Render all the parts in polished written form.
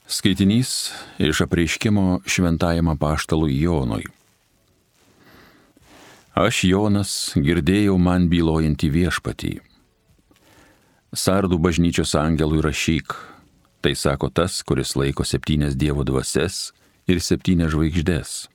Skaitinys iš apreiškimo šventajam apaštalui Jonui. Aš, Jonas, girdėjau man bylojantį viešpatį. Sardų bažnyčios angelui rašyk, tai sako tas, kuris laiko 7 Dievo dvasias ir 7 žvaigždės.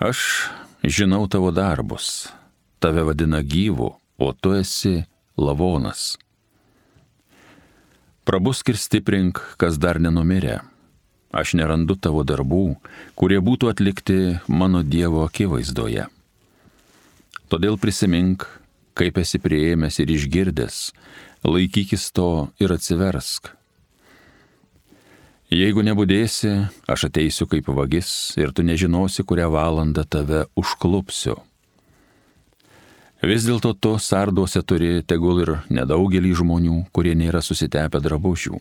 Aš žinau tavo darbus, tave vadina gyvu, o tu esi lavonas. Prabusk ir stiprink, kas dar nenumirė. Aš nerandu tavo darbų, kurie būtų atlikti mano Dievo akivaizdoje. Todėl prisimink, kaip esi priėmęs ir išgirdęs, laikykis to ir atsiversk. Jeigu nebudėsi, aš ateisiu kaip vagis ir tu nežinosi, kurią valandą tave užklupsiu. Vis dėlto tu sarduose turi tegul ir nedaugelį žmonių, kurie nėra susitepę drabužių.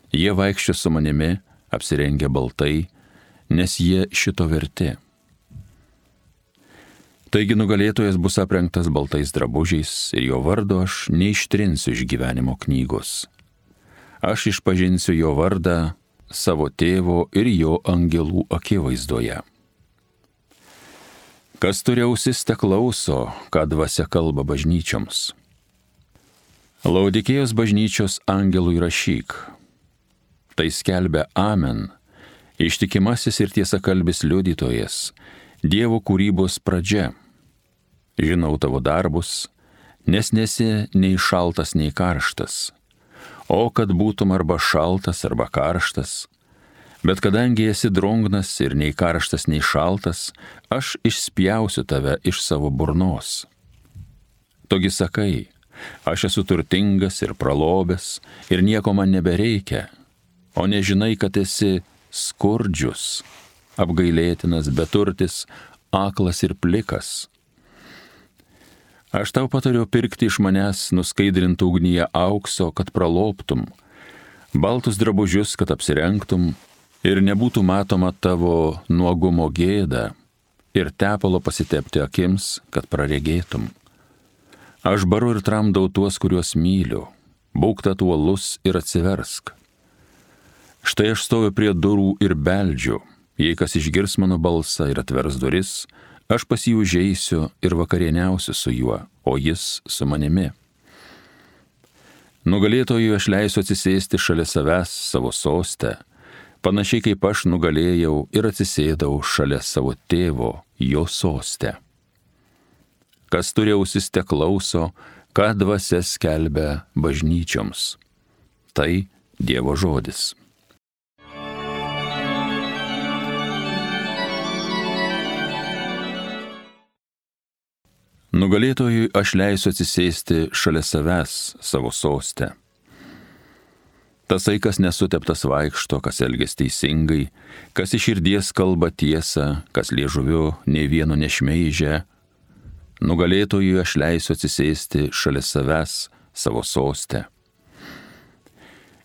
Jie vaikščia su manimi, apsirengę baltai, nes jie šito verti. Taigi nugalėtojas bus aprengtas baltais drabužiais ir jo vardo aš neištrinsiu iš gyvenimo knygos. Aš išpažinsiu jo vardą savo tėvo ir jo angelų akivaizdoje. Kas turi ausis, te klauso, ką dvasia kalba bažnyčioms. Laudikėjos bažnyčios angelui rašyk. Tai skelbia Amen, ištikimasis ir tiesakalbis liudytojas, Dievo kūrybos pradžia. Žinau tavo darbus, nes nesi nei šaltas, nei karštas. O kad būtum arba šaltas, arba karštas. Bet kadangi esi drungnas ir nei karštas, nei šaltas, aš išspjausiu tave iš savo burnos. Togi sakai, aš esu turtingas ir pralobęs ir nieko man nebereikia, o nežinai, kad esi skurdžius, apgailėtinas, beturtis, aklas ir plikas. Aš tau patariu pirkti iš manęs nuskaidrintų ugnyje aukso, kad pralobtum, baltus drabužius, kad apsirengtum, ir nebūtų matoma tavo nuogumo gėda, ir tepalo pasitepti akims, kad praregėtum. Aš baru ir tramdau tuos, kuriuos myliu, būk tatuolus ir atsiversk. Štai aš stoviu prie durų ir beldžiu, jei kas išgirs mano balsą ir atvers duris, aš pas jį užeisiu ir vakarieniausiu su juo, o jis su manimi. Nugalėtojui aš leisiu atsisėsti šalia savęs savo soste, panašiai kaip aš nugalėjau ir atsisėdau šalia savo tėvo, jo soste. Kas turi ausis, te klauso, ką dvasia skelbia bažnyčioms. Tai Dievo žodis. Nugalėtojui aš leisiu atsisėsti šalia savęs savo soste. Tasai, kas nesuteptas vaikšto, kas elgiasi teisingai, kas iš širdies kalba tiesą, kas liežuviu nei vieno nešmeižia, nugalėtojui aš leisiu atsisėsti šalia savęs savo soste.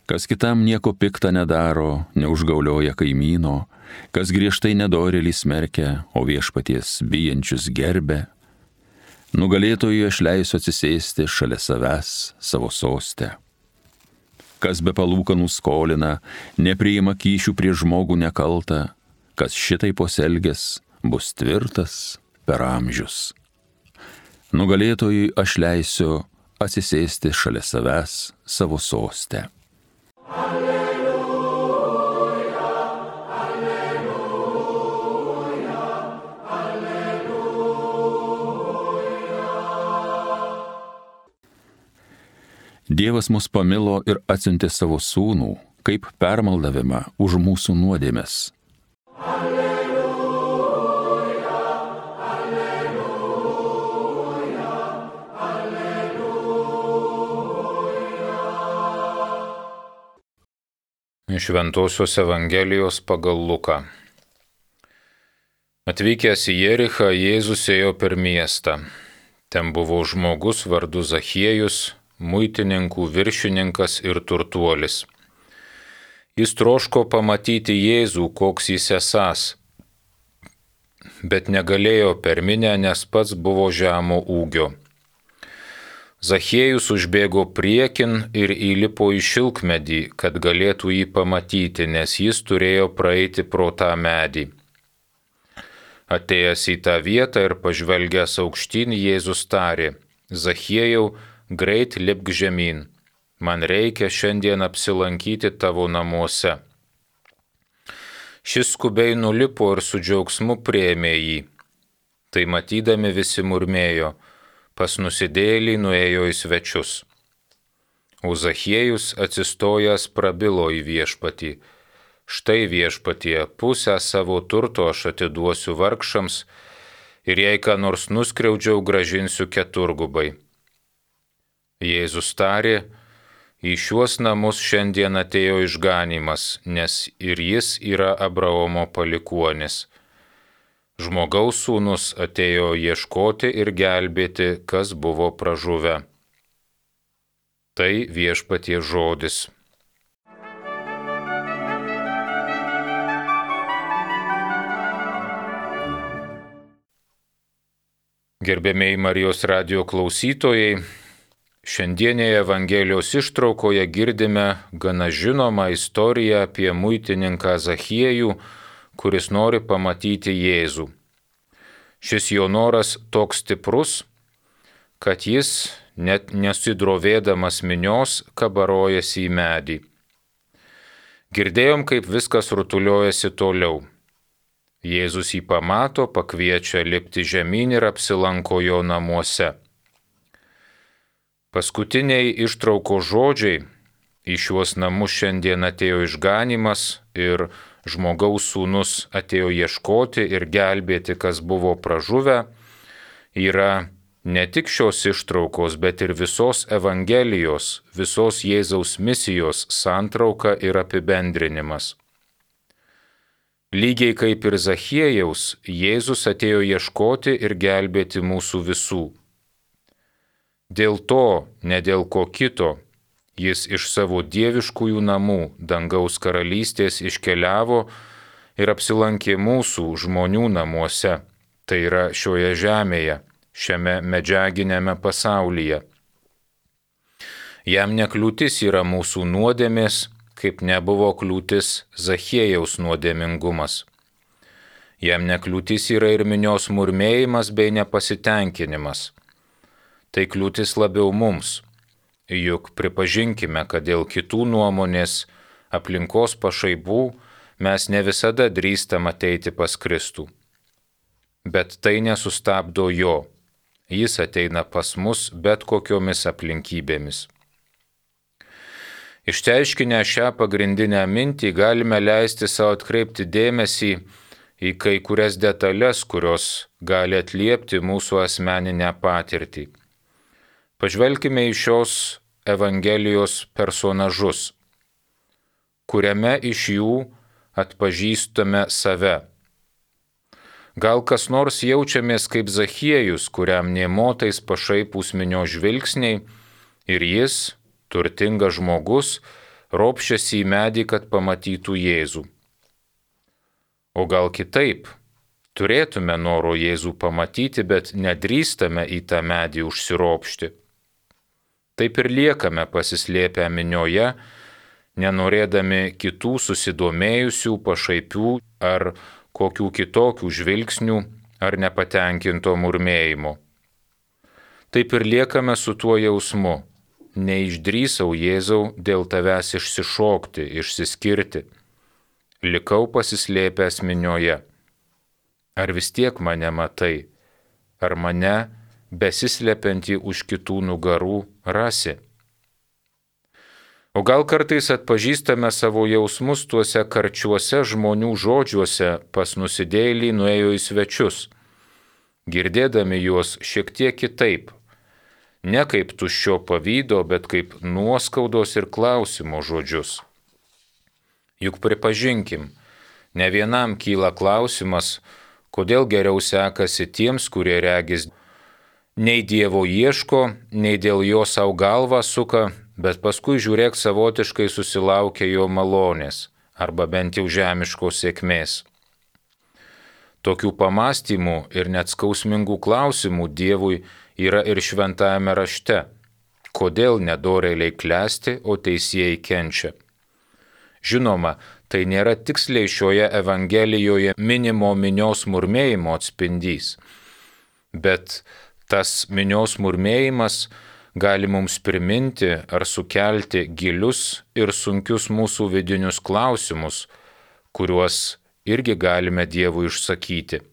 Kas kitam nieko pikta nedaro, neužgaulioja kaimyno, kas griežtai nedorėlį smerkia, o viešpaties bijančius gerbia, nugalėtojui aš leisiu atsisėsti šalia savęs savo soste. Kas be palūkanų skolina, nepriima kyšių prie žmogų nekaltą, kas šitai pasielgęs, bus tvirtas per amžius. Nugalėtojui aš leisiu atsisėsti šalia savęs savo soste. Dievas mus pamilo ir atsiuntė savo sūnų, kaip permaldavimą už mūsų nuodėmes. Alleluja, alleluja, alleluja. Iš Šventosios Evangelijos pagal Luką. Atvykęs į Jerichą, Jėzus ėjo per miestą. Ten buvo žmogus vardu Zachiejus, muitininkų viršininkas ir turtuolis. Jis troško pamatyti Jėzų, koks jis esąs, bet negalėjo per minią, nes pats buvo žemo ūgio. Zachiejus užbėgo priekin ir įlipo į šilkmedį, kad galėtų jį pamatyti, nes jis turėjo praeiti pro tą medį. Atėjęs į tą vietą ir pažvelgęs aukštyn, Jėzus tarė: Zachiejau, greit lipk žemyn, man reikia šiandien apsilankyti tavo namuose. Šis skubiai nulipo ir su džiaugsmu priėmė jį. Tai matydami visi murmėjo: pas nusidėjėlį nuėjo į svečius. O Zachiejus atsistojęs prabilo į viešpatį: štai viešpatie, pusę savo turto aš atiduosiu vargšams ir jei ką nors nuskriaudžiau, gražinsiu keturgubai. Jėzus tarė: į šiuos namus šiandien atėjo išganymas, nes ir jis yra Abraomo palikuonis. Žmogaus sūnus atėjo ieškoti ir gelbėti, kas buvo pražuvę. Tai viešpaties žodis. Gerbėmiai Marijos radijo klausytojai, šiandienėje Evangelijos ištraukoje girdime gana žinomą istoriją apie muitininką Zachiejų, kuris nori pamatyti Jėzų. Šis jo noras toks stiprus, kad jis, net nesidrovėdamas minios, kabarojasi į medį. Girdėjom, kaip viskas rutuliojasi toliau. Jėzus jį pamato, pakviečia lipti žemyn ir apsilanko jo namuose. Paskutiniai ištrauko žodžiai: į šiuos namus šiandien atėjo išganymas ir žmogaus sūnus atėjo ieškoti ir gelbėti, kas buvo pražuvę, yra ne tik šios ištraukos, bet ir visos Evangelijos, visos Jėzaus misijos santrauka ir apibendrinimas. Lygiai kaip ir Zachiejaus, Jėzus atėjo ieškoti ir gelbėti mūsų visų. Dėl to, ne dėl ko kito, jis iš savo dieviškųjų namų, dangaus karalystės, iškeliavo ir apsilankė mūsų žmonių namuose, tai yra šioje žemėje, šiame medžiaginėme pasaulyje. Jam nekliūtis yra mūsų nuodėmės, kaip nebuvo kliūtis Zachiejaus nuodėmingumas. Jam nekliūtis yra ir minios murmėjimas bei nepasitenkinimas. Tai kliūtis labiau mums, juk pripažinkime, kad dėl kitų nuomonės, aplinkos pašaipų mes ne visada drįstam ateiti pas Kristų. Bet tai nesustabdo jo, jis ateina pas mus bet kokiomis aplinkybėmis. Išteiškinę šią pagrindinę mintį galime leisti savo atkreipti dėmesį į kai kurias detalės, kurios gali atliepti mūsų asmeninę patirtį. Pažvelkime į šios Evangelijos personažus, kuriame iš jų atpažįstame save. Gal kas nors jaučiamės kaip Zachiejus, kuriam nė motais pašaipūs minios žvilgsniai, ir jis, turtingas žmogus, ropščiasi į medį, kad pamatytų Jėzų. O gal kitaip, turėtume noro Jėzų pamatyti, bet nedrįstame į tą medį užsiropšti. Taip ir liekame pasislėpę minioje, nenorėdami kitų susidomėjusių, pašaipių ar kokių kitokių žvilgsnių ar nepatenkinto murmėjimo. Taip ir liekame su tuo jausmu: neišdrįsau, Jėzau, dėl tavęs išsišokti, išsiskirti. Likau pasislėpęs minioje. Ar vis tiek mane matai? Ar mane, besislepiantį už kitų nugarų, rasi? O gal kartais atpažįstame savo jausmus tuose karčiuose žmonių žodžiuose: pas nusidėjėlį nuėjo į svečius, girdėdami juos šiek tiek kitaip. Ne kaip tuščio pavydo, bet kaip nuoskaudos ir klausimo žodžius. Juk pripažinkim, ne vienam kyla klausimas, kodėl geriau sekasi tiems, kurie regis nei Dievo ieško, nei dėl jo savo galvą suka, bet paskui žiūrėk savotiškai susilaukia jo malonės, arba bent jau žemiškos sėkmės. Tokių pamastymų ir net skausmingų klausimų Dievui yra ir šventajame rašte, kodėl nedorėliai klesti, o teisėjai kenčia. Žinoma, tai nėra tiksliai šioje Evangelijoje minimo minios murmėjimo atspindys, bet tas minios murmėjimas gali mums priminti ar sukelti gilius ir sunkius mūsų vidinius klausimus, kuriuos irgi galime Dievui išsakyti.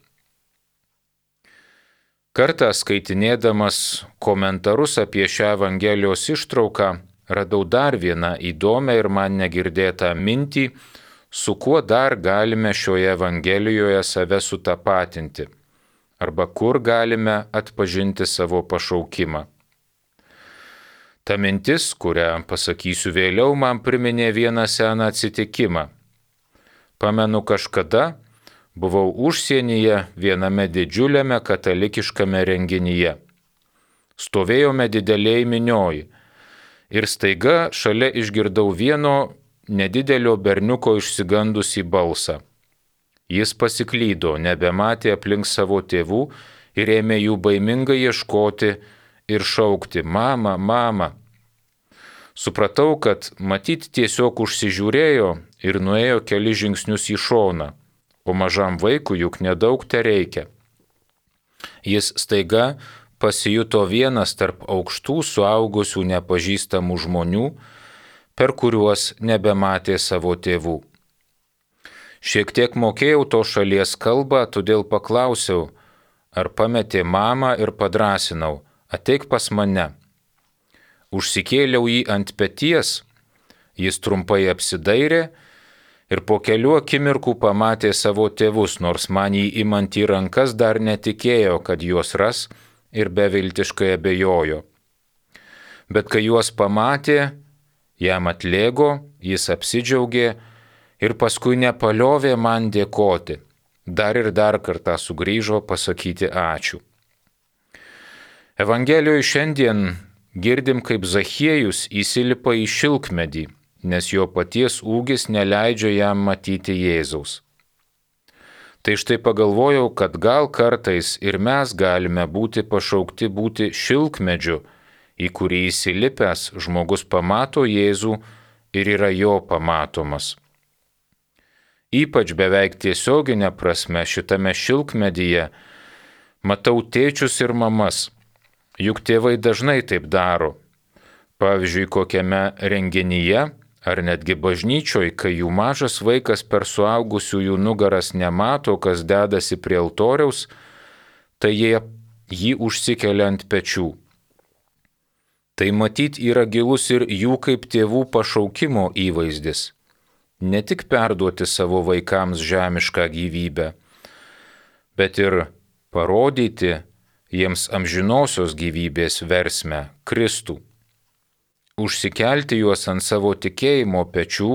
Kartą skaitinėdamas komentarus apie šią Evangelijos ištrauką, radau dar vieną įdomią ir man negirdėtą mintį, su kuo dar galime šioje Evangelijoje save sutapatinti, arba kur galime atpažinti savo pašaukimą. Ta mintis, kurią pasakysiu vėliau, man priminė vieną seną atsitikimą. Pamenu, kažkada buvau užsienyje viename didžiuliame katalikiškame renginyje. Stovėjome dideliai minioj ir staiga šalia išgirdau vieno nedidelio berniuko išsigandusį balsą. Jis pasiklydo, nebematė aplink savo tėvų ir ėmė jų baimingai ieškoti ir šaukti: mama, mama. Supratau, kad matyt tiesiog užsižiūrėjo ir nuėjo keli žingsnius į šoną, o mažam vaikui juk nedaug tereikia. Jis staiga pasijuto vienas tarp aukštų suaugusių nepažįstamų žmonių, per kuriuos nebematė savo tėvų. Šiek tiek mokėjau to šalies kalbą, todėl paklausiau, ar pametė mamą, ir padrasinau: ateik pas mane. Užsikėliau jį ant peties, jis trumpai apsidairė ir po kelių akimirkų pamatė savo tėvus, nors man jį imant į rankas dar netikėjo, kad juos ras, ir beviltiškai abejojo. Bet kai juos pamatė, jam atlėgo, jis apsidžiaugė ir paskui nepaliovė man dėkoti. Dar ir dar kartą sugrįžo pasakyti ačiū. Evangelijoje šiandien girdim, kaip Zachiejus įsilipa į šilkmedį, nes jo paties ūgis neleidžia jam matyti Jėzaus. Tai štai pagalvojau, kad gal kartais ir mes galime būti pašaukti būti šilkmedžiu, į kurį įsilipęs žmogus pamato Jėzų ir yra jo pamatomas. Ypač beveik tiesioginė prasme šitame šilkmedyje matau tėčius ir mamas. Juk tėvai dažnai taip daro. Pavyzdžiui, kokiame renginyje ar netgi bažnyčioje, kai jų mažas vaikas per suaugusiųjų nugaras nemato, kas dedasi prie altoriaus, tai jie jį užsikelia ant pečių. Tai matyt yra gilus ir jų kaip tėvų pašaukimo įvaizdis. Ne tik perduoti savo vaikams žemišką gyvybę, bet ir parodyti jiems amžinosios gyvybės versmę Kristų. Užsikelti juos ant savo tikėjimo pečių,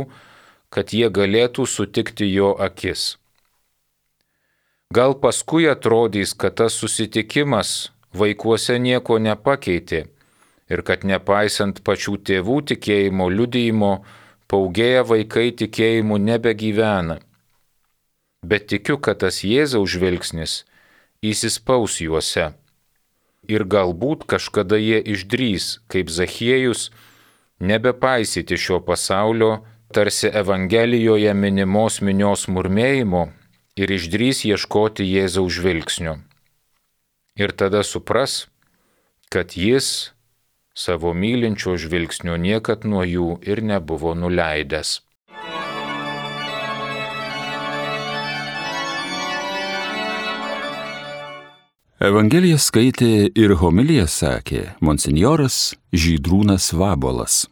kad jie galėtų sutikti jo akis. Gal paskui atrodys, kad tas susitikimas vaikuose nieko nepakeitė ir kad nepaisant pačių tėvų tikėjimo liudijimo, paugėję vaikai tikėjimu nebegyvena. Bet tikiu, kad tas Jėzaus žvilgsnis įsispaus juose. Ir galbūt kažkada jie išdrys, kaip Zachiejus, nebepaisyti šio pasaulio, tarsi Evangelijoje minimos minios murmėjimo, ir išdrys ieškoti Jėzaus žvilgsnio. Ir tada supras, kad jis savo mylinčio žvilgsnio niekad nuo jų ir nebuvo nuleidęs. Evangeliją skaitė ir homiliją sakė monsinjoras Žydrūnas Vabolas.